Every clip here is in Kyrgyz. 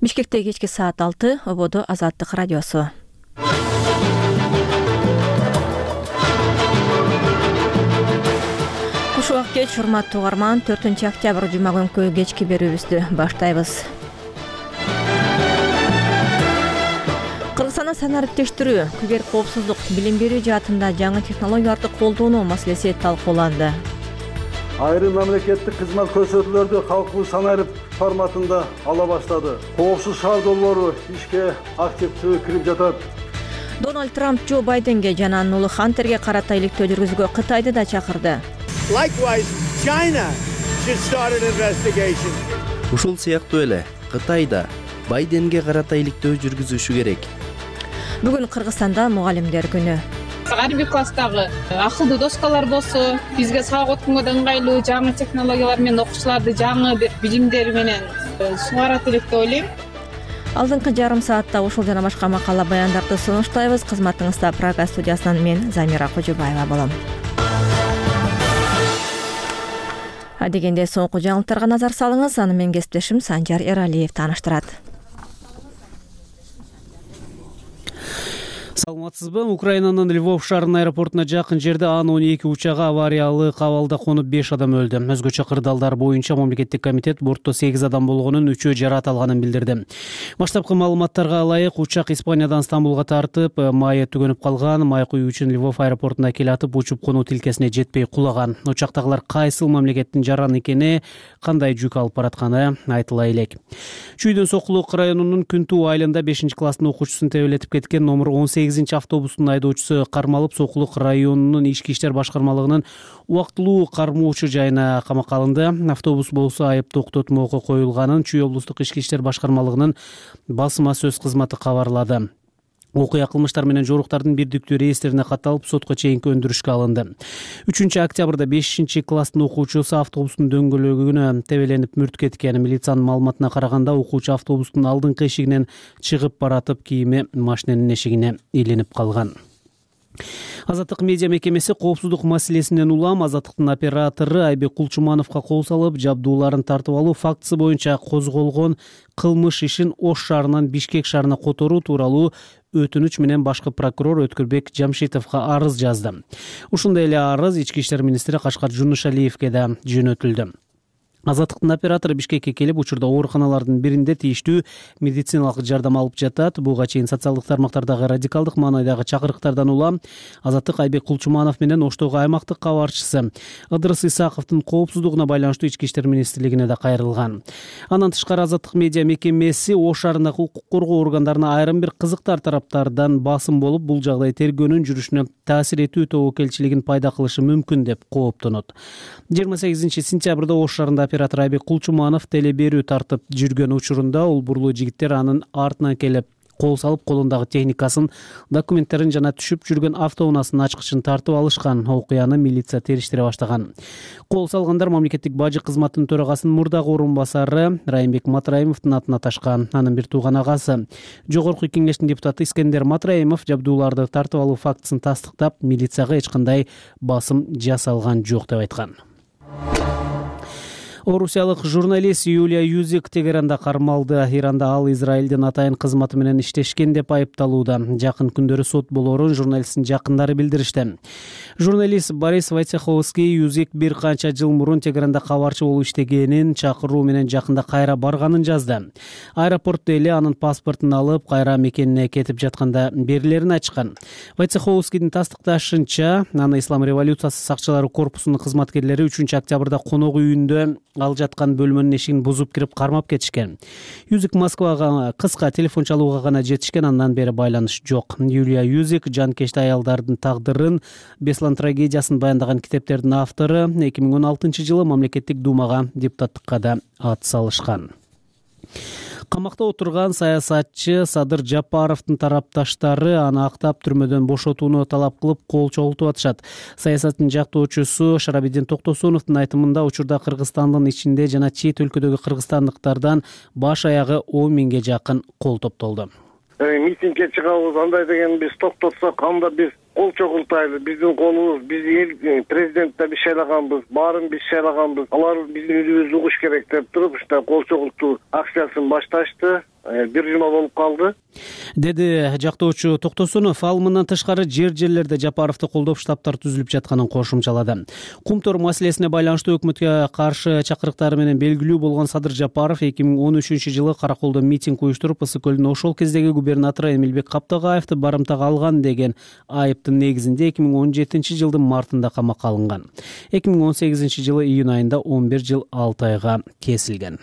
Бишкекте кечки саат 6, ободо Азаттык радиосу. Куш убак кеч, урматтуу угарман, 4-октябрь жума күнкү кечки берүүбүздү баштайбыз. Кыргызстандын санариптештирүү, кибер коопсуздук, билим берүү жаатында жаңы технологияларды колдонуу маселеси талкууланды. Айрым мамлекеттик кызмат көрсөтүүлөрдү калктуу санарип форматында ала баштады. Коопсуз шаар долбоору ишке активдүү кирип жатат. Дональд Трамп Джо Байденге жана анын уулу Хантерге карата иликтөө жүргүзүүгө Кытайды да чакырды. Ушул сыяктуу эле Кытай да Байденге карата иликтөө жүргүзүшү керек. Бүгүн Кыргызстанда мугалимдер күнү. Ар бир класстагы акылдуу доскалар болсо, бизге сабак өткөнгө да ыңгайлуу жаңы технологиялар менен окуучуларды жаңы бир билимдер менен сугарат элек деп ойлойм. Алдыңкы жарым саатта ушул жана башка макала баяндарды сунуштайбыз. Кызматыңызда Прага студиясынан мен Замира Кожобаева болом. Адегенде соңку жаңылыктарга назар салыңыз. Аны менин кесиптешим Санжар Эралиев тааныштырат. Саламатсызбы? Украинанын Львов шаарынын аэропортуна жакын жерде Ан-12 учагы авариялык абалда конуп 5 адам өлдү. Өзгөчө кырдаалдар боюнча мамлекеттик комитет бортто 8 адам болгонун, 3-өө жаракат алганын билдирди. Баштапкы маалыматтарга ылайык, учак Испаниядан Стамбулга тартып, майы түгөнүп калган. Май куюу үчүн Львов аэропортуна келатып, учуп конуу тилкесине жетпей кулаган. Учактагылар кайсыл мамлекеттин жараны экени, кандай жүк алып баратканы айтыла элек. Чүйдөн Сокулук районунун Күнтүү айылында 5-класстын окуучусун тебелетип кеткен номер 18 автобустун айдоочусу кармалып, Сокулук районунун ички иштер башкармалыгынын убактылуу кармоочу жайына камакка алынды. Автобус болсо айып токтотмоого коюлганын Чүй облустук ички иштер башкармалыгынын басма сөз кызматы кабарлады. Окуя кылмыштар менен жоруктардын бирдиктүү реестрине катталып, сотко чейинки өндүрүшкө алынды. 3-октябрда 5-класстын окуучусу автобустун дөңгөлөгүнө тебеленип мүрт кеткен. Милициянын маалыматына караганда, окуучу автобустун алдыңкы эшигинен чыгып баратып, кийими машиненин эшигине илинип калган. Азаттык медиа мекемеси коопсуздук маселесинен улам Азаттыктын оператору Айбек Кулчумановго кол салып, жабдууларын тартып алуу фактысы боюнча козголгон кылмыш ишин Ош шаарынан Бишкек шаарына которуу тууралуу өтүнүч менен башкы прокурор Өткүрбек Жамшитовго арыз жазды. Ушундай эле арыз ички иштер министри Кашкар Жунушалиевге да жөнөтүлдү. Азаттыктын оператору Бишкекке келип, учурда ооруканалардын биринде тийиштүү медициналык жардам алып жатат. Буга чейин социалдык тармактардагы радикалдык маанайдагы чакырыктардан улам Азаттык Айбек Кулчуманов менен Оштогу аймактык кабарчысы Ыдырыс Исаковдун коопсуздугуна байланыштуу ички иштер министрлигине да кайрылган. Андан тышкары Азаттык медиа мекемеси Ош шаарындагы укук коргоо органдарына айрым бир кызыктар тараптардан басым болуп, бул жагдай тергөөнүн жүрүшүнө таасир этүү тобокелчилигин пайда кылышы мүмкүн деп кооптонот. 28-сентябрда Ош шаарында оператор Айбек Кулчуманов телеберүү тартып жүргөн учурунда улбурлуу жигиттер анын артынан келип кол салып, колундагы техникасын, документтерин жана түшүп жүргөн автоунаасынын ачкычын тартып алышкан. Окуяны милиция териштире баштаган. Кол салгандар мамлекеттик бажы кызматынын төрагасынын мурдагы орун басары Райымбек Матраимовдун атына ташкан. Анын бир тууган агасы Жогорку кеңештин депутаты Искендер Матраимов жабдууларды тартып алуу фактысын тастыктап, милицияга эч кандай басым жасалган жок деп айткан. Орусиялык журналист Юлия Юзик Тегеранда кармалды. Иранда ал Израилдин атайын кызматы менен иштешкен деп айыпталууда. Жакын күндөрү сот болоорун журналисттин жакындары билдиришти. Журналист Борис Войцеховский Юзик бир канча жыл мурун Тегеранда кабарчы болуп иштегенин, чакыруу менен жакында кайра барганын жазды. Аэропортто эле анын паспортун алып, кайра мекенине кетип жатканда берилерин ачкан. Войцеховскийдин тастыкташынча, аны Ислам революциясы сакчылары корпусунун кызматкерлери 3-октябрда конок үйүндө ал жаткан бөлмөнүн эшигин бузуп кирип кармап кетишкен. Юзик Москвага кыска телефон чалууга гана жетишкен, андан бери байланыш жок. Юлия Юзик жанкечти аялдардын тагдырын, Беслан трагедиясын баяндаган китептердин автору. 2016-жылы мамлекеттик думага депутаттыкка да ат салышкан. Камакта отурган саясатчы Садыр Жапаровдун тарапташтары аны актап түрмөдөн бошотууну талап кылып кол чогултуп атышат. Саясаттын жактоочусу Шарабидин Токтосуновдун айтымында, учурда Кыргызстандын ичинде жана чет өлкөдөгү кыргызстандыктардан баш аягы 10 миңге жакын кол топтолду. Митингге чыгабыз, андай деген биз токтотсок, анда биз кол чогултайлы. Биздин колубуз, биз эл президентте биз шайлаганбыз, баарын биз шайлаганбыз. Алар биздин үнүбүздү угуш керек деп туруп, ушундай кол чогултуу акциясын башташты. бир жума болуп калды, деди жактоочу Токтосунов. Ал мындан тышкары жерлерде Жапаровду колдоп штабтар түзүлүп жатканын кошумчалады. Кумтор маселесине байланыштуу өкмөткө каршы чакырыктары менен белгилүү болгон Садыр Жапаров 2013-жылы Караколдо митинг уюштуруп, Ысык көлдүн ошол кездеги губернатору Эмилбек Каптагаевди барымтага алган деген айыптын негизинде 2017-жылдын мартында камакка алынган. 2018-жылы июнь айында 11 жыл 6 айга кесилген.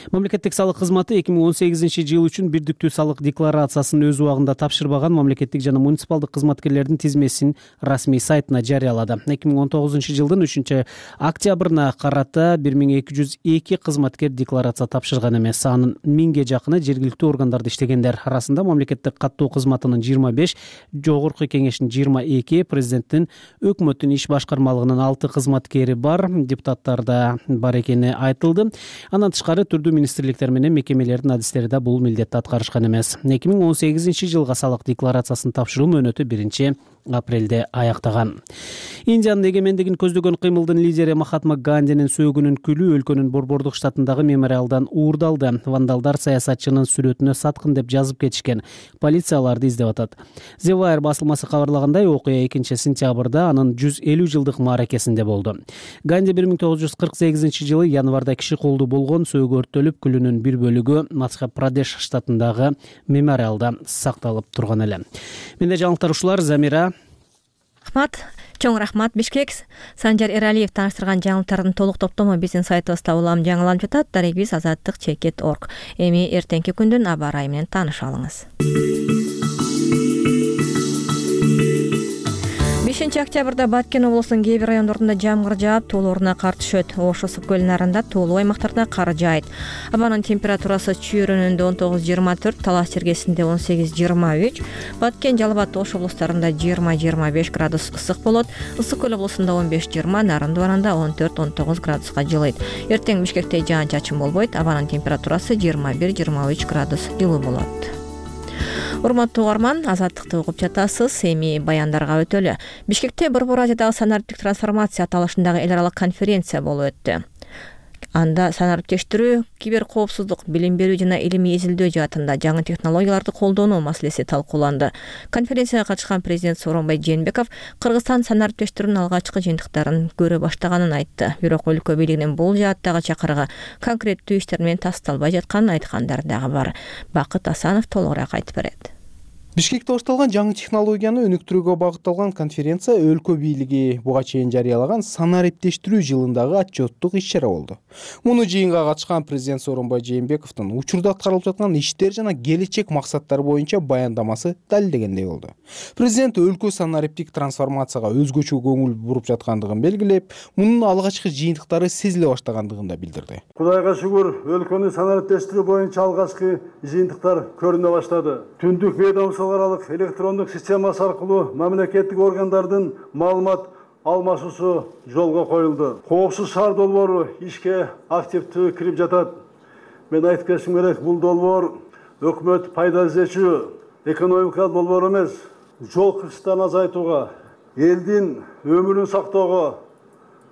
Мамлекеттик салык кызматы 2018-жыл үчүн бирдиктүү салык декларациясын өз убагында тапшырбаган мамлекеттик жана муниципалдык кызматкерлердин тизмесин расмий сайтына жарыялады. 2019-жылдын 3-октябрына карата 1202 кызматкер декларация тапшырган эмес. Анын 1000ге жакыны жергиликтүү органдарда иштегендер. Арасында мамлекеттик каттоо кызматынын 25, жогорку кеңештин 22, президенттин өкмөттүн иш башкармалыгынын 6 кызматкери бар, депутаттарда бар экени айтылды. Андан тышкары түрдүү министрликтер менен мекемелердин адистери да бул милдетти аткарышкан эмес. 2018-жылга салык декларациясын тапшыруу мөөнөтү 1-апрелде аяктаган. Индиянын эгемендигин көздөгөн кыймылдын лидери Махатма Гандинин сөөгүнүн күлү өлкөнүн Борбордук штатындагы мемориалдан уурдалды. Вандалдар саясатчынын сүрөтүнө саткын деп жазып кетишкен. Полиция аларды издеп атат. The Wire басылмасы кабарлагандай, окуя 2-сентябрда анын 150 жылдык мааракесинде болду. Ганди 1948-жылы январда киши колдуу болгон, сөөгү өрттөлүп, күлүнүн бир бөлүгү Мадхья-Прадеш штатындагы мемориалда сакталып турган эле. Менде жаңылыктар ушулар. Замира. Чоң рахмат. Бишкек. Санжар Эралиев тааныштырган жаңылыктардын толук топтому биздин сайтыбызда улам жаңыланып жатат. Дарегибиз azadtik.org. Эми эртеңки күндүн аба ырайы менен тааныша алыңыз. 5-октябрда Баткен облусунун кээ бир райондорунда жамгыр жаап, тоолоруна кар түшөт. Ош Ысык көл нарында тоолуу аймактарда кар жаайт. Абанын температурасы Чүйөрөнүндө 19-24, Талас Чергесинде 18-23, Баткен, Жалал Абад, Ош облустарында 20-25 градус ысык болот. Ысык көл облусунда 15-20, Нарындуу баранда 14-19 градуска жылыйт. Эртең Бишкекте жаан-чачын болбойт. Абанын температурасы 21-23 градус жылуу болот. Урматтуу угарман, азаттыкты угуп жатасыз. Эми баяндарга өтөлү. Бишкекте Борбор Азиядагы санариптик трансформация аталышындагы эл аралык конференция болуп өттү. Анда санариптештирүү, кибер коопсуздук, билим берүү жана илимий изилдөө жаатында жаңы технологияларды колдонуу маселеси талкууланды. Конференцияга катышкан президент Сооронбай Жээнбеков Кыргызстан санариптештирүүнүн алгачкы жыйынтыктарын көрө баштаганын айтты. Бирок өлкө бийлигинин бул жааттагы чакырыгы конкреттүү иштер менен тасталбай жатканын айткандар дагы бар. Бакыт Асанов толугураак айтып берет. Бишкекте башталган жаңы технологияны өнүктүрүүгө багытталган конференция өлкө бийлиги буга чейин жарыялаган санариптештирүү жылындагы отчеттук иш-чара болду. Муну жыйынга катышкан президент Сооронбай Жээнбековдун учурда аткарылып жаткан иштер жана келечек максаттар боюнча баяндамасы далилдегендей болду. Президент өлкө санариптик трансформацияга өзгөчө көңүл буруп жаткандыгын белгилеп, мунун алгачкы жыйынтыктары сезиле баштагандыгын да билдирди. Кудайга шүгүр, өлкөнү санариптештирүү боюнча алгачкы жыйынтыктар көрүнө баштады. Түндүк ведомство аралык электрондук системасы аркылуу мамлекеттик органдардын маалымат алмашуусу жолго коюлду. Коопсуз шаар долбоору ишке активдүү кирип жатат. Мен айтып кетишим керек, бул долбоор өкмөт пайда издечү экономикалык долбоор эмес, жол кырсыктарын азайтууга, элдин өмүрүн сактоого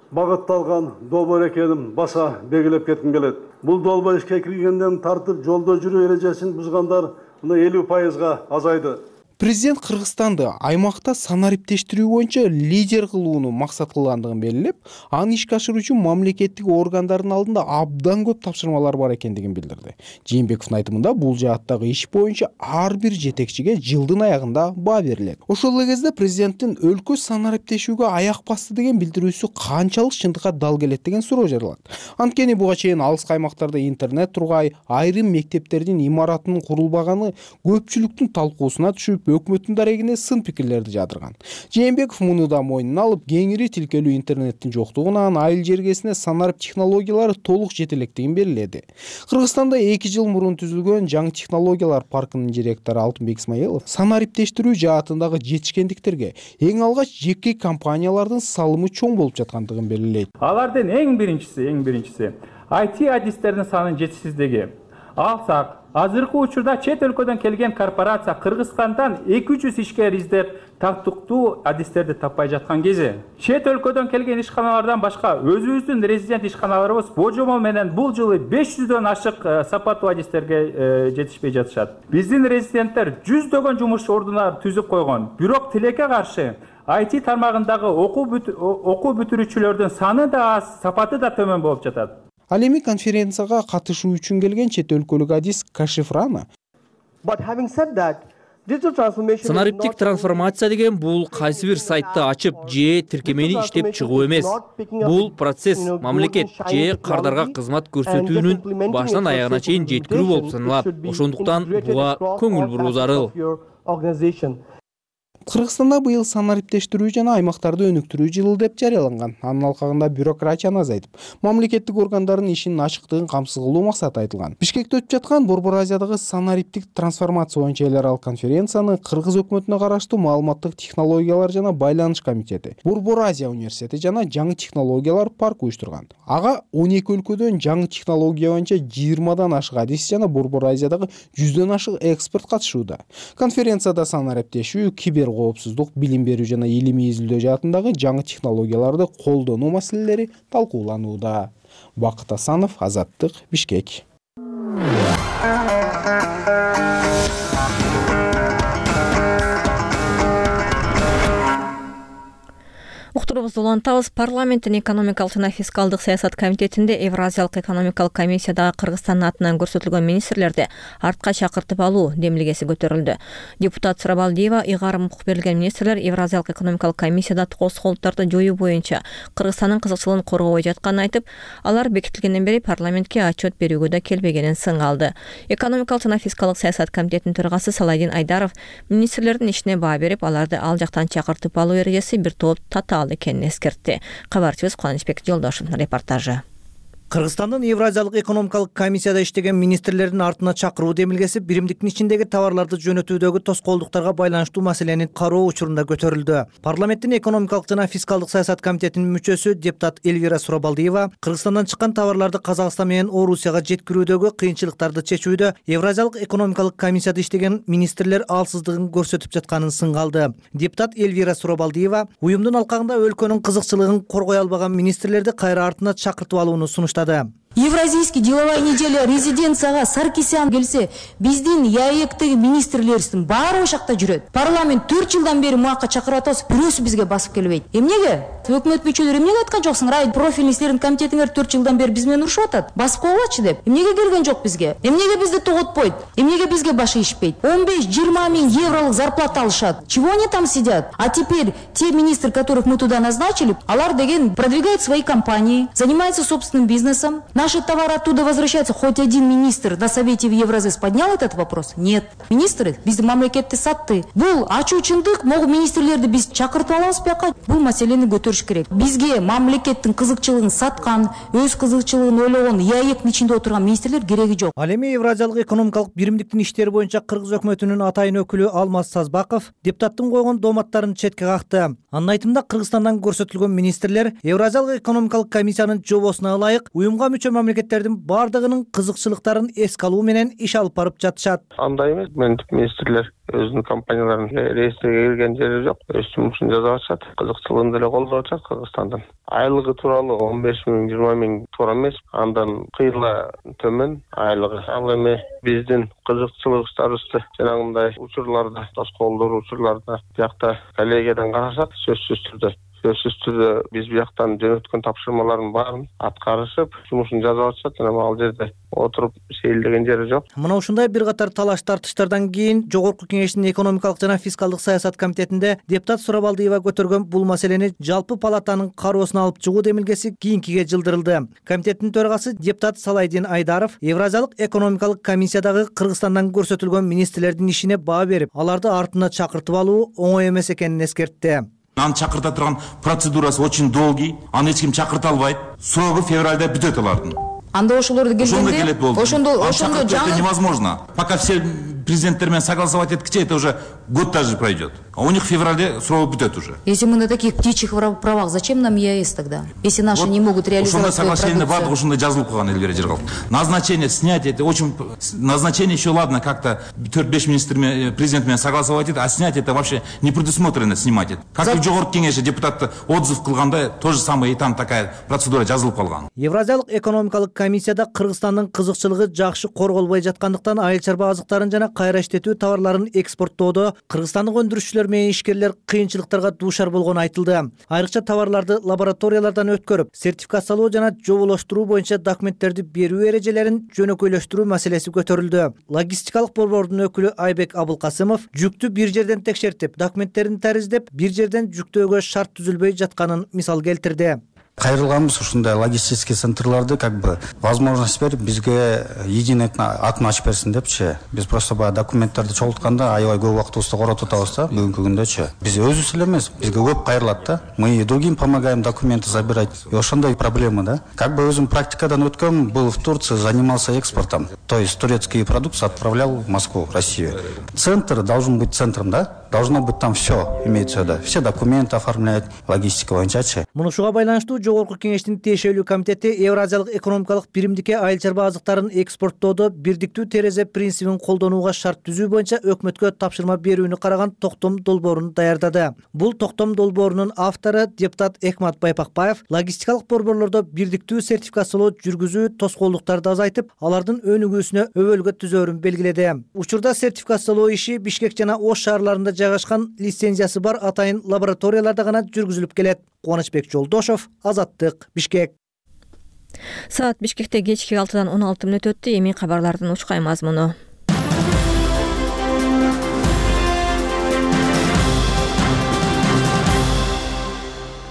багытталган долбоор экенин баса белгилеп кетким келет. Бул долбоор ишке киргенден тартып жолдо жүрүү эрежесин бузгандар 50%-га азайды. Президент Кыргызстанды аймакта санариптештирүү боюнча лидер кылууну максат кылгандыгын белгилеп, аны ишке ашыруу үчүн мамлекеттик органдардын алдында абдан көп тапшырмалар бар экендигин билдирди. Жээнбековдун айтымында бул жааттагы иш боюнча ар бир жетекчиге жылдын аягында баа берилет. Ошол эле кезде президенттин өлкө санариптешүүгө аяк басты деген билдирүүсү канчалык чындыкка дал келет деген суроо жаралат. Анткени буга чейин алыс аймактарда интернет тургай, айрым мектептердин имаратынын курулбаганы көпчүлүктүн талкуусуна түшүп, өкмөттүн дарегине сын пикирлерди жадырган. Жээнбеков муну да мойнуна алып, кеңири тилкелүү интернеттин жоктугунан айыл жергесине санарып технологиялары толук жете электигин белгиледи. Кыргызстанда 2 жыл мурун түзүлгөн жаңы технологиялар паркынын директору Алтынбек Исмаилов санариптештирүү жаатындагы жетишкендиктерге эң алгач жеке компаниялардын салымы чоң болуп жаткандыгын белгилейт. Алардын эң биринчиси IT адистердин санынын жетишсиздиги. алсак, азыркы учурда чет өлкөдөн келген корпорация Кыргызстандан 200 ишкер издеп тактыктуу адистерди таппай жаткан кези чет өлкөдөн келген ишканалардан башка өзүбүздүн резидент ишканаларыбыз божомол менен бул жылы 500дөн ашык сапаттуу адистерге жетишпей жатышат. Биздин резиденттер жүздөгөн жумуш ордуна түзүп койгон. Бирок тилекке каршы IT тармагындагы окуу бүтүрүүчүлөрдүн саны да аз, сапаты да төмөн болуп жатат. Ал эми конференцияга катышуу үчүн келген чет өлкөлүк адис Кашиф Рана санариптик трансформация деген бул кайсы бир сайтты ачып же тиркемени иштеп чыгуу эмес. Бул процесс мамлекет же кардарга кызмат көрсөтүүнүн башынан аягына чейин жеткирүү болуп саналат. Ошондуктан буга көңүл буруу зарыл. Кыргызстанда быйыл санариптештирүү жана аймактарды өнүктүрүү жылы деп жарыяланган. Анын алкагында бюрократияны азайтып, мамлекеттик органдардын ишинин ачыктыгын камсыз кылуу максаты айтылган. Бишкекте өтүп жаткан Борбор Азиядагы санариптик трансформация боюнча эл аралык конференцияны Кыргыз өкмөтүнө караштуу Маалыматтык технологиялар жана байланыш комитети, Борбор Азия университети жана жаңы технологиялар паркы уюштурган. Ага 12 өлкөдөн жаңы технология боюнча 20дан ашык адис жана Борбор Азиядагы 100дөн ашык эксперт катышууда. Конференцияда санариптешүү, кибер коопсуздук, билим берүү жана илимий изилдөө жаатындагы жаңы технологияларды колдонуу маселелери талкууланууда. Бакыт Асанов, Азаттык, Бишкек. Уктурубузду улантабыз. Парламенттин экономикалык жана фискалдык саясат комитетинде Евразиялык экономикалык комиссиядагы Кыргызстандын атынан көрсөтүлгөн министрлерди артка чакыртып алуу демилгеси көтөрүлдү. Депутат Сурабалдиева ыйгарым укук берилген министрлер Евразиялык экономикалык комиссияда тоскоолдуктарды жоюу боюнча Кыргызстандын кызыкчылыгын коргобой жатканын айтып, алар бекитилгенден бери парламентке отчет берүүгө да келбегенин сыңалды. Экономикалык жана фискалдык саясат комитетинин төрагасы Салайдин Айдаров министрлердин ишине баа берип, аларды ал жактан чакыртып алуу эрежеси бир топ татаал экенин эскертти. Кабарчыбыз Кубанычбек Жолдошевдун репортажы. Кыргызстандын Евразиялык экономикалык комиссияда иштеген министрлердин артына чакыруу демилгеси биримдиктин ичиндеги товарларды жөнөтүүдөгү тоскоолдуктарга байланыштуу маселени кароо учурунда көтөрүлдү. Парламенттин экономикалык жана фискалдык саясат комитетинин мүчөсү депутат Элвира Сурабалдиева Кыргызстандан чыккан товарларды Казакстан менен Орусияга жеткирүүдөгү кыйынчылыктарды чечүүдө Евразиялык экономикалык комиссияда иштеген министрлер алсыздыгын көрсөтүп жатканын сыңалды. Депутат Элвира Сурабалдиева уюмдун алкагында өлкөнүн кызыкчылыгын коргой албаган министрлерди кайра артына чакыртып алууну сунуштады. Евразийский деловая неделя резиденцияга Саркисян келсе, биздин ЯЭКтеги министрлерибиздин баары ошакта жүрөт. Парламент 4 жылдан бери муакка чакырып атабыз, бирөөсү бизге басып келбейт. Эмнеге? Өкмөт мүчөлөрү эмнеге айткан жоксуң? Рай профильный иштердин комитетиңер 4 жылдан бери биз менен урушуп атат. Басып койгулачы деп. Эмнеге келген жок бизге? Эмнеге бизди тоготпойт? Эмнеге бизге баш ийишпейт? 15-20 миң евролук зарплата алышат. Чего они там сидят? А теперь те министры, которых мы туда назначили, алар деген продвигают свои компании, занимаются собственным бизнесом. Наши товары оттуда возвращаются. Хоть один министр на совете в Евразис поднял этот вопрос? Нет. Министры биздин мамлекетти сатты. Бул ачуучундук, могу министрлерди биз чакыртып алабыз бияка. Бул маселени көтөрүш керек. Бизге мамлекеттин кызыкчылыгын саткан, өз кызыкчылыгын ойлогон, ЯЭКтин ичинде отурган министрлер кереги жок. Ал эми Евразиялык экономикалык биримдиктин иштери боюнча Кыргыз өкмөтүнүн атайын өкүлү Алмаз Сазбаков депутаттын койгон дооматтарын четке какты. Анын айтымында Кыргызстандан көрсөтүлгөн министрлер Евразиялык экономикалык комиссиянын жобосуна ылайык уюмга мүчө мамлекеттердин бардыгынын кызыкчылыктарын эске алуу менен иш алып барып жатышат. Андай эмес, министрлер өзүнүн компанияларын реестриге кирген жери жок, өз жумушун жасап атышат, кызыкчылыгын деле колдоп атышат Кыргызстандын. Айлыгы тууралуу 15 миң, 20 миң туура эмес, андан кыйла төмөн айлыгы. Ал эми биздин кызыкчылыктарыбызды жанагындай учурларда, тоскоолдоо учурларда биякта коллегиядан карашат, сөзсүз түрдө биз бияктан жөнөткөн тапшырмалардын баарын аткарышып, жумушун жасап атышат, жана ал жерде отуруп сейилдеген жери жок. Мына ушундай бир катар талаш тартыштардан кийин Жогорку Кеңештин экономикалык жана фискалдык саясат комитетинде депутат Сурабалдиева көтөргөн бул маселени жалпы палатанын кароосуна алып чыгуу демилгеси кийинкиге жылдырылды. Комитеттин төрагасы депутат Салайдин Айдаров Евразиялык экономикалык комиссиядагы Кыргызстандан көрсөтүлгөн министрлердин ишине баа берип, аларды артына чакыртып алуу оңой эмес экенин эскертти. Аны чакырта турган процедурасы очень долгий, аны эч ким чакырта албайт. Срогу февралда бүтөт алардын. Анда ошолорду келгенде, ошондо это невозможно. Пока все президенттер менен согласовать эткиче, это уже год даже пройдет. а у них в феврале срок бүтөт уже. Если мы на таких птичьих правах, зачем нам ЕАЭС тогда? Если наши не могут реализовать свою соглашение продукцию. бардык ушундай жазылып калган элбери жер. Назначение снять это очень назначение еще ладно как-то 4-5 министр президент менен согласовать этти, а снять это вообще не предусмотрено снимать это. Как и жогорку кеңеши депутаты отзыв кылганда то же самое и там такая процедура жазылып калган. Евразиялык экономикалык комиссияда Кыргызстандын кызыкчылыгы жакшы корголбой жаткандыктан айыл чарба азыктарын жана кайра иштетүү товарларын экспорттоодо кыргызстандык өндүрүшчүлөр менен ишкерлер кыйынчылыктарга дуушар болгону айтылды. Айрыкча товарларды лабораториялардан өткөрүп, сертификациялоо жана жоболоштуруу боюнча документтерди берүү эрежелерин жөнөкөйлөштүрүү маселеси көтөрүлдү. Логистикалык борбордун өкүлү Айбек Абылкасымов жүктү бир жерден текшертип, документтерин тариздеп, бир жерден жүктөөгө шарт түзүлбөй жатканын мисал келтирди. Кайрылганбыз ушундай логистический центрларды возможность берип бизге единый атын ачып берсин депчи. Биз просто баягы документтерди чогултканда аябай көп убактыбызды коротуп атабыз да бүгүнкү күндөчү. Биз өзүбүз эле эмес, бизге көп кайрылат да. Мы и другим помогаем документы забирать. И ошондой проблема да. Өзүм практикадан өткөм, был в Турции, занимался экспортом. То есть турецкие продукты отправлял в Москву, в Россию. Центр должен быть центром, да? Должно быть там все, имеется в виду. Все документы оформляют, логистика боюнчачы. Мунушуга байланыштуу Жогорку кеңештин тиешелүү комитети Евразиялык экономикалык биримдикке айыл чарба азыктарын экспорттоодо бирдиктүү терезе принцибин колдонууга шарт түзүү боюнча өкмөткө тапшырма берүүнү караган токтом долбоорун даярдады. Бул токтом долбоорунун автору депутат Экмат Байпакбаев логистикалык борборлордо бирдиктүү сертификациялоо жүргүзүү тоскоолдуктарды азайтып, алардын өнүгүүсүнө өбөлгө түзөөрүн белгиледи. Учурда сертификациялоо иши Бишкек жана Ош шаарларында жайгашкан лицензиясы бар атайын лабораторияларда гана жүргүзүлүп келет. Кубанычбек Жолдошов, Азаттык, Бишкек. Саат Бишкекте кечки 6-дан 16 мүнөт өттү. Эми кабарлардын учкай мазмуну.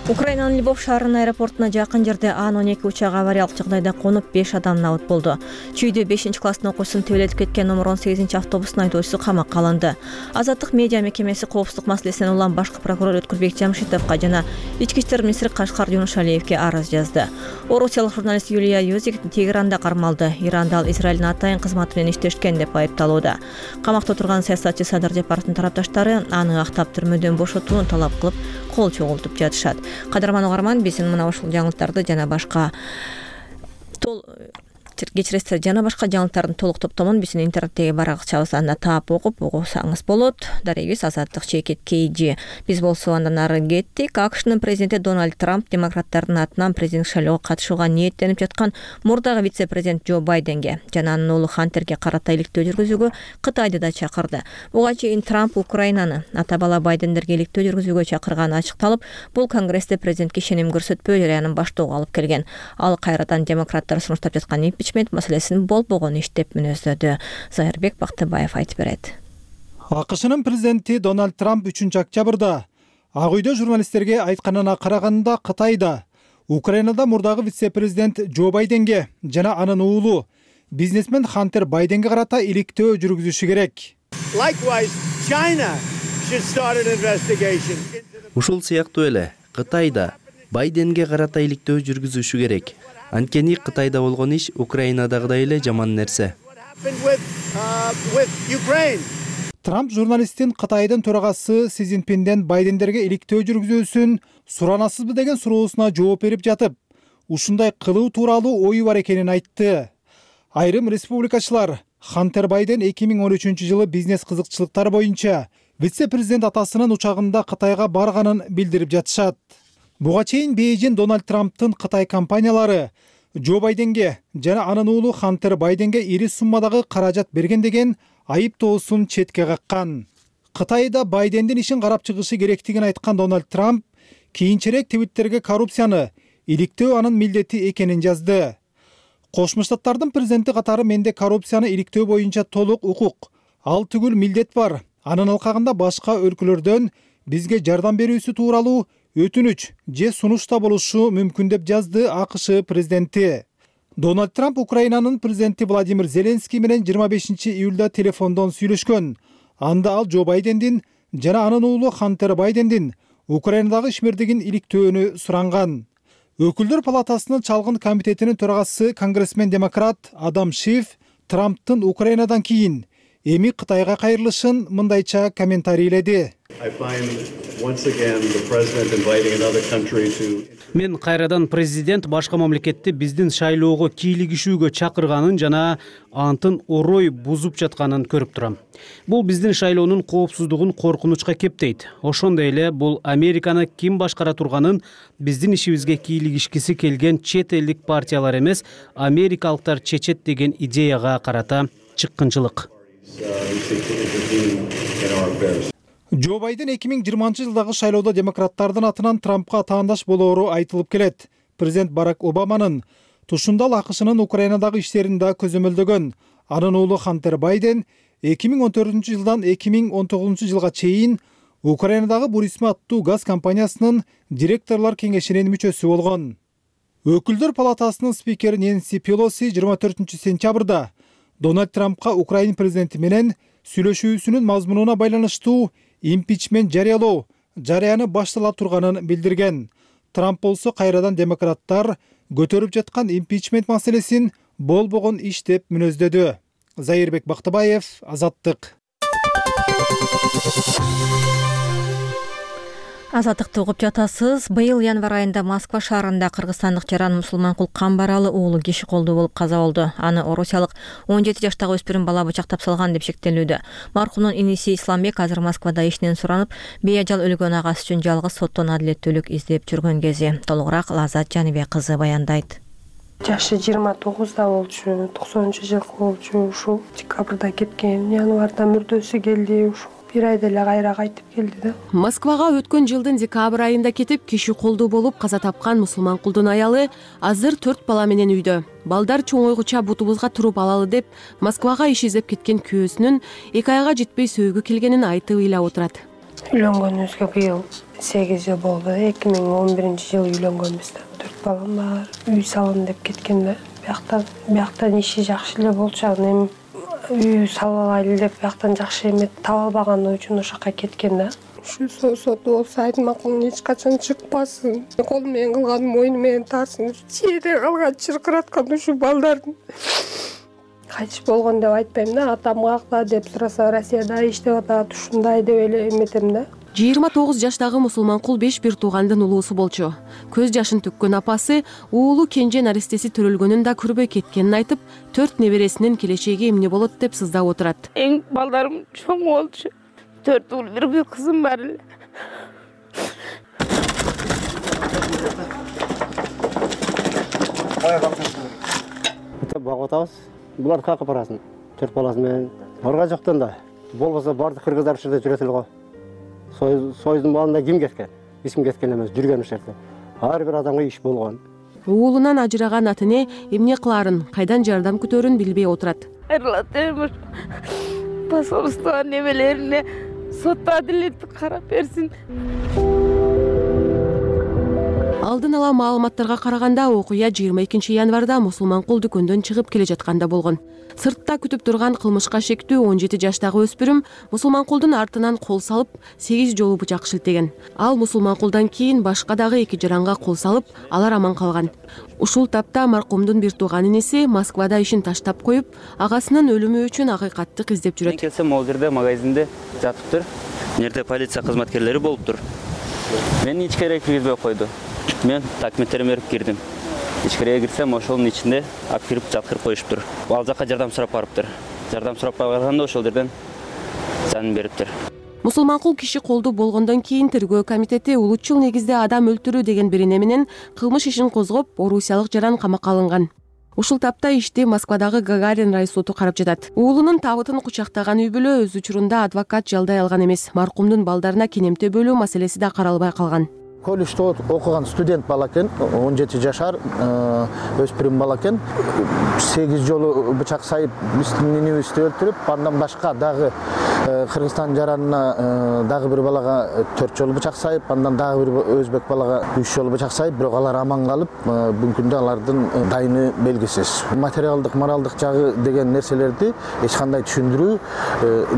Украинанын Львов шаарынын аэропортуна жакын жерде Ан-12 учагы авариялык жагдайда конуп 5 адам набыт болду. Чүйдө 5-класстын окуучусун тебелетип кеткен номер 18 автобустун айдоочусу камакка алынды. Азаттык медиа мекемеси коопсуздук маселесинен улам башкы прокурор Өткүлбек Жамшитовго жана Ички иштер министри Кашкар Юнушалиевге арыз жазды. Орусиялык журналист Юлия Юзик Тегеранда кармалды. Иранда ал Израилдин атайын кызматы менен иштешкен деп айыпталууда. Камакта турган саясатчы Садыр Жапаровдун тарапташтары аны актап түрмөдөн бошотууну талап кылып, кол чогултуп жатышат. Кадырман угарман, биздин мына ушул жаңылыктарды жана башка кечиресиздер жана башка жаңылыктардын толук топтомун биздин интернеттеги баракчабыз анда таап окуп угусаңыз болот. Дарегибиз Азаттык Чекит KG. Биз болсо андан ары кеттик. АКШнын президенти Дональд Трамп демократтардын атынан президент шайлоого катышууга ниеттенип жаткан мурдагы вице-президент Джо Байденге жана анын уулу Хантерге карата иликтөө жүргүзүүгө Кытайды да чакырды. Буга чейин Трамп Украинаны ата бала Байдендерге иликтөө жүргүзүүгө чакырганы ачыкталып, бул Конгрессте президентке ишеним көрсөтпөө жараянын баштоого алып келген. Ал кайрадан демократтар сунуштап жаткан импичмент маселесин болбогон иш деп мүнөздөдү. Зайырбек Бактыбаев айтып берет. АКШнын президенти Дональд Трамп 3-октябрда Ак үйдө журналисттерге айтканына караганда Кытайда Украинада мурдагы вице-президент Джо Байденге жана анын уулу бизнесмен Хантер Байденге карата иликтөө жүргүзүшү керек. Ушул сыяктуу эле Кытайда Байденге карата иликтөө жүргүзүшү керек. Анткени Кытайда болгон иш Украинадагыдай эле жаман нерсе. Трамп журналисттин Кытайдын төрагасы Си Цзиньпинден Байдендерге иликтөө жүргүзүүсүн суранасызбы деген суроосуна жооп берип жатып, ушундай кылуу тууралуу ою бар экенин айтты. Айрым республикачылар Хантер Байден 2013-жылы бизнес кызыкчылыктар боюнча вице-президент атасынын учагында Кытайга барганын билдирип жатышат. Буга чейин Бейжин Дональд Трамптын Кытай компаниялары Джо Байденге жана анын уулу Хантер Байденге ири суммадагы каражат берген деген айыптоосун четке каккан. Кытайда Байдендин ишин карап чыгышы керектигин айткан Дональд Трамп кийинчерээк Твиттерге коррупцияны иликтөө анын милдети экенин жазды. Кошмо Штаттардын президенти катары менде коррупцияны иликтөө боюнча толук укук, ал түгүл милдет бар. Анын алкагында башка өлкөлөрдөн бизге жардам берүүсү тууралуу өтүнүч же сунушта болушу мүмкүн деп жазды АКШ президенти. Дональд Трамп Украинанын президенти Владимир Зеленский менен 25-июлда телефондон сүйлөшкөн. Анда ал Джо Байдендин жана анын уулу Хантер Байдендин Украинадагы ишмердигин иликтөөнү суранган. Өкүлдөр палатасынын чалгын комитетинин төрагасы конгрессмен демократ Адам Шиф Трамптын Украинадан кийин эми Кытайга кайрылышын мындайча комментарийледи. Мен кайрадан президент башка мамлекетти биздин шайлоого кийлигишүүгө чакырганын жана антын орой бузуп жатканын көрүп турам. Бул биздин шайлоонун коопсуздугун коркунучка кептейт. Ошондой эле бул Американы ким башкара турганын биздин ишибизге кийлигишкиси келген чет элдик партиялар эмес, америкалыктар чечет деген идеяга карата чыккынчылык. Джо Байден 2020-жылдагы шайлоодо демократтардын атынан Трампка таандаш болоору айтылып келет. Президент Барак Обаманын тушундал АКШнын Украинадагы иштерин да көзөмөлдөгөн. Анын уулу Хантер Байден 2014-жылдан 2019-жылга чейин Украинадагы Бурисма аттуу газ компаниясынын директорлор кеңешинин мүчөсү болгон. Өкүлдөр палатасынын спикери Нэнси Пелоси 24-сентябрда Дональд Трампка Украина президенти менен сүйлөшүүсүнүн мазмунуна байланыштуу импичмент жарыялоо жарыяны баштала турганын билдирген. Трамп болсо кайрадан демократтар көтөрүп жаткан импичмент маселесин болбогон иш деп мүнөздөдү. Зайырбек Бактыбаев, Азаттык. Азаттыкты угуп жатасыз. Быйыл январь айында Москва шаарында кыргызстандык жаран мусулманкул Камбаралы уулу киши колдуу болуп каза болду. Аны орусиялык 17 жаштагы өспүрүм бала бычактап салган деп шектелүүдө. Маркумдун иниси Исламбек азыр Москвада ишинен суранып, бейажал өлгөн агасы үчүн жалгыз соттон адилеттүүлүк издеп жүргөн кези. Толугураак Лаззат Жаныбек кызы баяндайт. Жашы 29да болчу, 90-жылкы болчу, ушул декабрда кеткен, январда мүрдөсү келди, ушул бир айда эле кайра кайтып келди да. Москвага өткөн жылдын декабрь айында кетип, киши колдуу болуп каза тапкан мусулманкулдун аялы азыр 4 бала менен үйдө. Балдар чоңойгуча бутубузга туруп алалы деп Москвага иш издеп кеткен күйөөсүнүн 2 айга жетпей сөөгү келгенин айтып ыйлап отурат. Үйлөнгөнүбүзгө быйыл 8 жыл болду. 2011-жылы үйлөнгөнбүз да. 4 балам бар. Үй салам деп кеткен да. Бияктан иши жакшы эле болчу, эми үй салалайлы деп бияктан жакшы эмет таба албаганы үчүн ошока кеткен да. Ушу сот болсо айтмакмын, эч качан чыкпасын. Колум менен кылган мойну менен тарсын. Жерде калган чыркыраткан ушу балдардын. Кайтыш болгон деп айтпайм да, атам какта деп сураса, Россияда иштеп атат, ушундай деп эле эметем да. 29 жаштагы мусулманкул 5 бир туугандын улуусу болчу. Көз жашын төккөн апасы уулу кенже наристеси төрөлгөнүн да көрбөй кеткенин айтып, 4 небересинин келечеги эмне болот деп сыздап отурат. Эң балдарым чоң болчу. 4 уул, бир кызым бар эле. Багып атабыз. Булар какып барасын. 4 баласы менен. Барга жоктон да. Болбосо бардык кыргыздар ушул жерде жүрөт эле го. Союздун балында ким кеткен? Эч ким кеткен эмес, жүргөн ушул жерде. Ар бир адамга иш болгон. Уулунан ажыраган атыне эмне кыларын, кайдан жардам күтөрүн билбей отурат. Эрлатем. Посольство немелерине сот адилеттик карап берсин. Алдын ала маалыматтарга караганда окуя 22 январда мусулманкул дүкөндөн чыгып келе жатканда болгон. Сыртта күтүп турган кылмышка шектүү 17 жаштагы өспүрүм мусулманкулдун артынан кол салып 8 жолу бычак шилтеген. Ал мусулманкулдан кийин башка дагы 2 жаранга кол салып, алар аман калган. Ушул тапта маркумдун бир тууган иниси Москвада ишин таштап коюп, агасынын өлүмү үчүн акыйкатты издеп жүрөт. Мен келсем, ал жерде магазинде жатыптыр. Нерде полиция кызматкерлери болуптур. Мени ичкерээге киргизбей койду. Мен документтеримди берип кирдим. Ичкерээге кирсем, ошонун ичинде алып кирип жаткырып коюштур. Ал жака жардам сурап барыптыр. Жардам сурап барганда ошол жерден жанын бериптир. Мусулманкул киши колдуу болгондон кийин тергөө комитети улутчул негизде адам өлтүрүү деген бирине менен кылмыш ишин козгоп, орусиялык жаран камакка алынган. Ушул тапта ишти Москвадагы Гагарин райсоту карап жатат. Уулунун табытын кучактаган үй бүлө өз учурунда адвокат жалдай алган эмес. Маркумдун балдарына кенемте бөлүү маселеси да каралбай калган. Колледжде окуган студент бала экен, 17 жашар өспүрүм бала экен. 8 жолу бычак сайып биздин нинибизди өлтүрүп, андан башка дагы Кыргызстан жаранына дагы бир балага 4 жолу бычак сайып, андан дагы бир өзбек балага 3 жолу бычак сайып, бирок алар аман калып, бүгүнкү күндө алардын дайыны белгисиз. Материалдык, моралдык жагы деген нерселерди эч кандай түшүндүрүү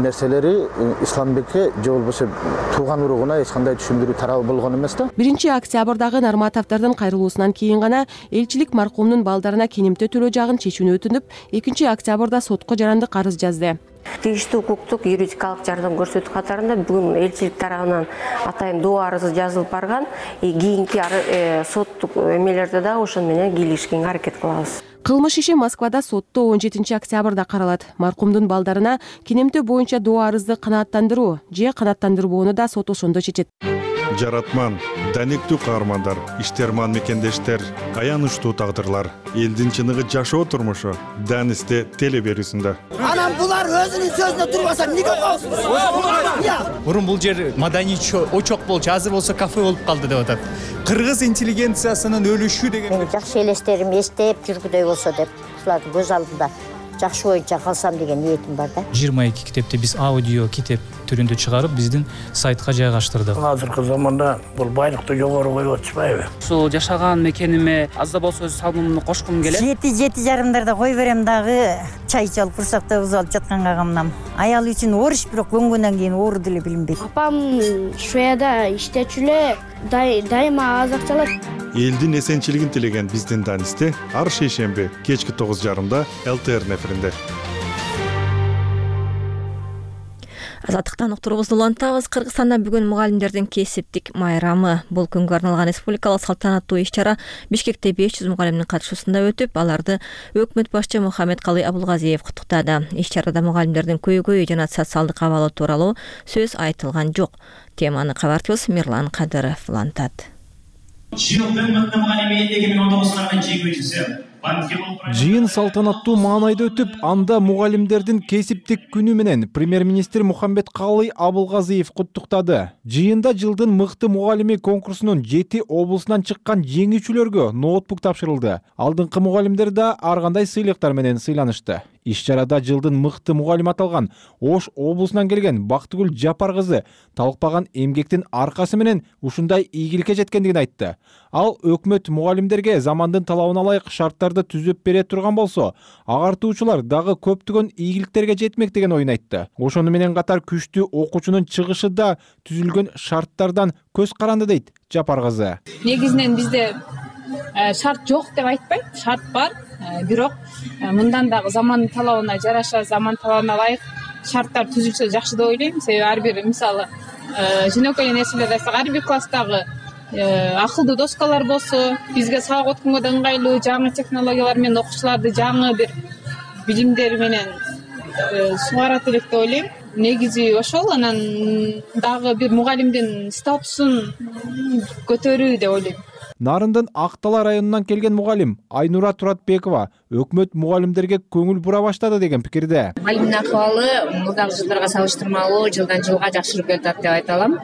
нерселери Исламбекке же болбосо тууган уругуна эч кандай түшүндүрүү тарабы болгон эмес да. 1 октябрдагы Нарматовдордун кайрылуусунан кийин гана элчилик маркумдун балдарына кенемте төлөө жагын чечүүнү өтүнүп, 2 октябрда сотко жарандык арыз жазды. Тийиштүү укуктук юридикалык жардам көрсөтүү катарында бүгүн элчилик тарабынан атайын доо арызы жазылып барган. Кийинки соттук эмелерде да ошон менен кийлигишкенге аракет кылабыз. Кылмыш иши Москвада сотто 17 октябрда каралат. Маркумдун балдарына кинемтөө боюнча доо арызды канааттандыруу же канааттандырбоону да сот ошондо чечет. Жаратман, даниктүү каармандар, иштерман мекендештер, аянычтуу тагдырлар, элдин чыныгы жашоо турмушу Данисте теле берүүсүндө. Анан булар өзүнүн сөзүнө турбаса эмнеге коесуз? Мурун бул жер маданий очок болчу, азыр болсо кафе болуп калды деп атат. Кыргыз интеллигенциясынын өлүшү деген. Мен жакшы элестерим эстеп жүргүдөй болсо деп, ушулардын көз алдында жакшы боюнча калсам деген ниетим бар да. 22 китепти биз аудио китеп түрүндө чыгарып, биздин сайтка жайгаштырдык. Азыркы заманда бул байлыкты жогору коюп атышпайбы? Ушул жашаган мекениме аз да болсо өз салымымды кошкум келет. 7:30 кой берем дагы, чай ичип курсакта уз алып жатканга камнам. Аял үчүн ориш, бирок көнгөндөн кийин оор деле билинбейт. Апам Шведияда иштечү эле, дайыма аз акча алат. Элдин эсенчилигин тилеген биздин Данисте ар шейшемби кечки 9:30 ЛТР эфиринде. Азаттыктан уктурубузду улантабыз. Кыргызстанда бүгүн мугалимдердин кесиптик майрамы. Бул күнгө арналган республикалык салтанаттуу иш-чара Бишкекте 500 мугалимдин катышуусунда өтүп, аларды өкмөт башчы Мухаммедкалый Абулгазиев куттуктады. Иш-чарада мугалимдердин көйгөйү жана социалдык абалы тууралуу сөз айтылган жок. Теманы кабарчыбыз Мирлан Кадыров улантат. Жыйын салтанаттуу маанайда өтүп, анда мугалимдердин кесиптик күнү менен премьер-министр Мухаммедкалый Абулгазиев куттуктады. Жыйында жылдын мыкты мугалими конкурсунун 7 облусунан чыккан жеңүүчүлөргө ноутбук тапшырылды. Алдыңкы мугалимдер да ар кандай сыйлыктар менен сыйланышты. Иш-чарада жылдын мыкты мугалими аталган Ош облусунан келген Бактыгүл Жапар кызы талыкпаган эмгектин аркасы менен ушундай ийгиликке жеткендигин айтты. Ал өкмөт мугалимдерге замандын талабына ылайык шарттарды түзүп бере турган болсо, агартуучулар дагы көптөгөн ийгиликтерге жетмек деген оюн айтты. Ошону менен катар күчтүү окуучунун чыгышы да түзүлгөн шарттардан көз каранды дейт Жапар кызы. Негизинен бизде шарт жок деп айтпайт, шарт бар. Бирок мындан дагы замандын талабына жараша, заман талабына ылайык шарттар түзүлсө жакшы деп ойлойм. Себеби ар бир мисалы жөнөкөй нерселерди айтсак, ар бир класстагы акылдуу доскалар болсо, бизге сабак өткөнгө да ыңгайлуу жаңы технологиялар менен окуучуларды жаңы бир билимдер менен сугарат элек деп ойлойм. Негизи ошол, анан дагы бир мугалимдин статусун көтөрүү деп ойлойм. Нарындын Актала районунан келген мугалим Айнура Туратбекова өкмөт мугалимдерге көңүл бура баштады деген пикирде. Мугалимдин акыбалы мурдагы жылдарга салыштырмалуу жылдан жылга жакшырып келатат деп айта алам.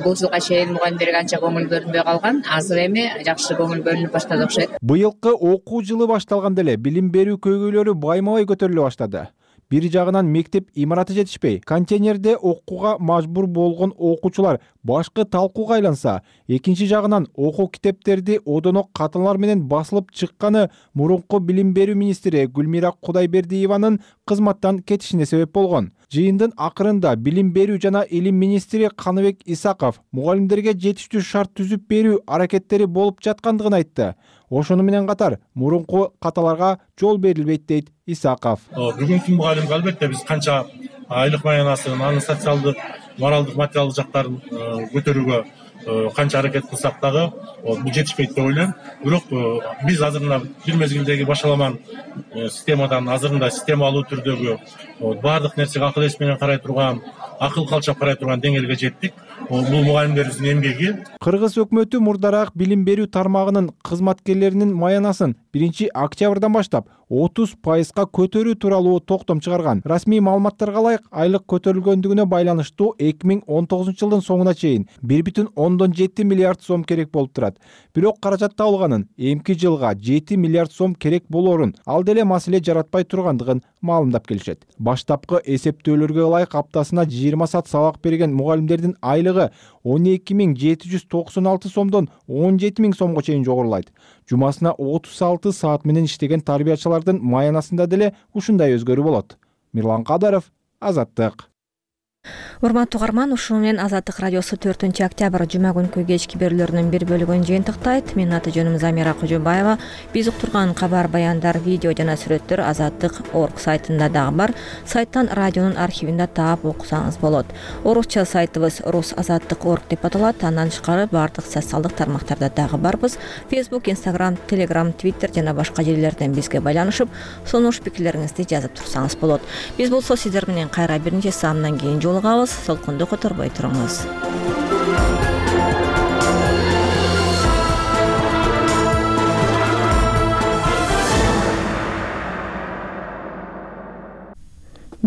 Бул жылга чейин мугалимдерге анча көңүл бөлүнбөй калган, азыр эми жакшы көңүл бөлүнүп баштады окшойт. Быйылкы окуу жылы башталганда эле билим берүү көйгөйлөрү байма-бай көтөрүлө баштады. Бир жагынан мектеп имараты жетишпей, контейнерде окууга мажбур болгон окуучулар башкы талкууга айланса, экинчи жагынан окуу китептерди одоно каталар менен басылып чыкканы мурунку билим берүү министри Гүлмира Кудайбердиеванын кызматтан кетишине себеп болгон. Жыйындын акырында билим берүү жана илим министри Каныбек Исаков мугалимдерге жетиштүү шарт түзүп берүү аракеттери болуп жаткандыгын айтты. Ошону менен катар мурунку каталарга жол берилбейт дейт Исаков. Бүгүнкү мугалимге албетте биз канча айлык маянасын, анын социалдык, моралдык, материалдык жактарын көтөрүүгө канча аракет кылсак дагы бул жетишпейт деп ойлойм. Бирок биз азырында бир мезгилдеги башаламан системадан азырында системалуу түрдөгү баардык нерсеге акыл эс менен карай турган, акыл калчап карай турган деңгээлге жеттик. Бул мугалимдерибиздин эмгеги. Кыргыз өкмөтү мурдараак билим берүү тармагынын кызматкерлеринин маянасын 1 октябрдан баштап 30% көтөрүү тууралуу токтом чыгарган. Расмий маалыматтарга ылайык айлык көтөрүлгөндүгүнө байланыштуу 2019 жылдын соңуна чейин 1,7 миллиард сом керек болуп турат. Бирок каражат табылганын эмки жылга 7 миллиард сом керек болорун, ал деле маселе жаратпай тургандыгын маалымдап келишет. Баштапкы эсептөөлөргө ылайык аптасына 20 саат сабак берген мугалимдердин айлыгы 12.796 сомдон 17.000 сомго чейин жогорулайт. Жумасына 36 саат менен иштеген тарбиячылардын маянасында деле ушундай өзгөрүү болот. Мирлан Кадыров, Азаттык. Урматтуу угарман, ушуну менен Азаттык радиосу 4-октябрь жума күнкү кечки берүүлөрүнүн бир бөлүгүн жыйынтыктайт. Менин аты жөнүм Замира Кожобаева. Биз уктурган кабар, баяндар, видео жана сүрөттөр Азаттык.org сайтында дагы бар. Сайттан радионун архивинде таап окусаңыз болот. Орусча сайтыбыз rus.azattik.org деп аталат. Андан тышкары бардык социалдык тармактарда дагы барбыз. Facebook, Instagram, Telegram, Twitter жана башка жерлерден бизге байланышып, сунуш пикирлериңизди жазып турсаңыз болот. Биз болсо сиздер менен кайра бир нече саамдан кийин жолугабыз. Солкунду которбой туруңуз.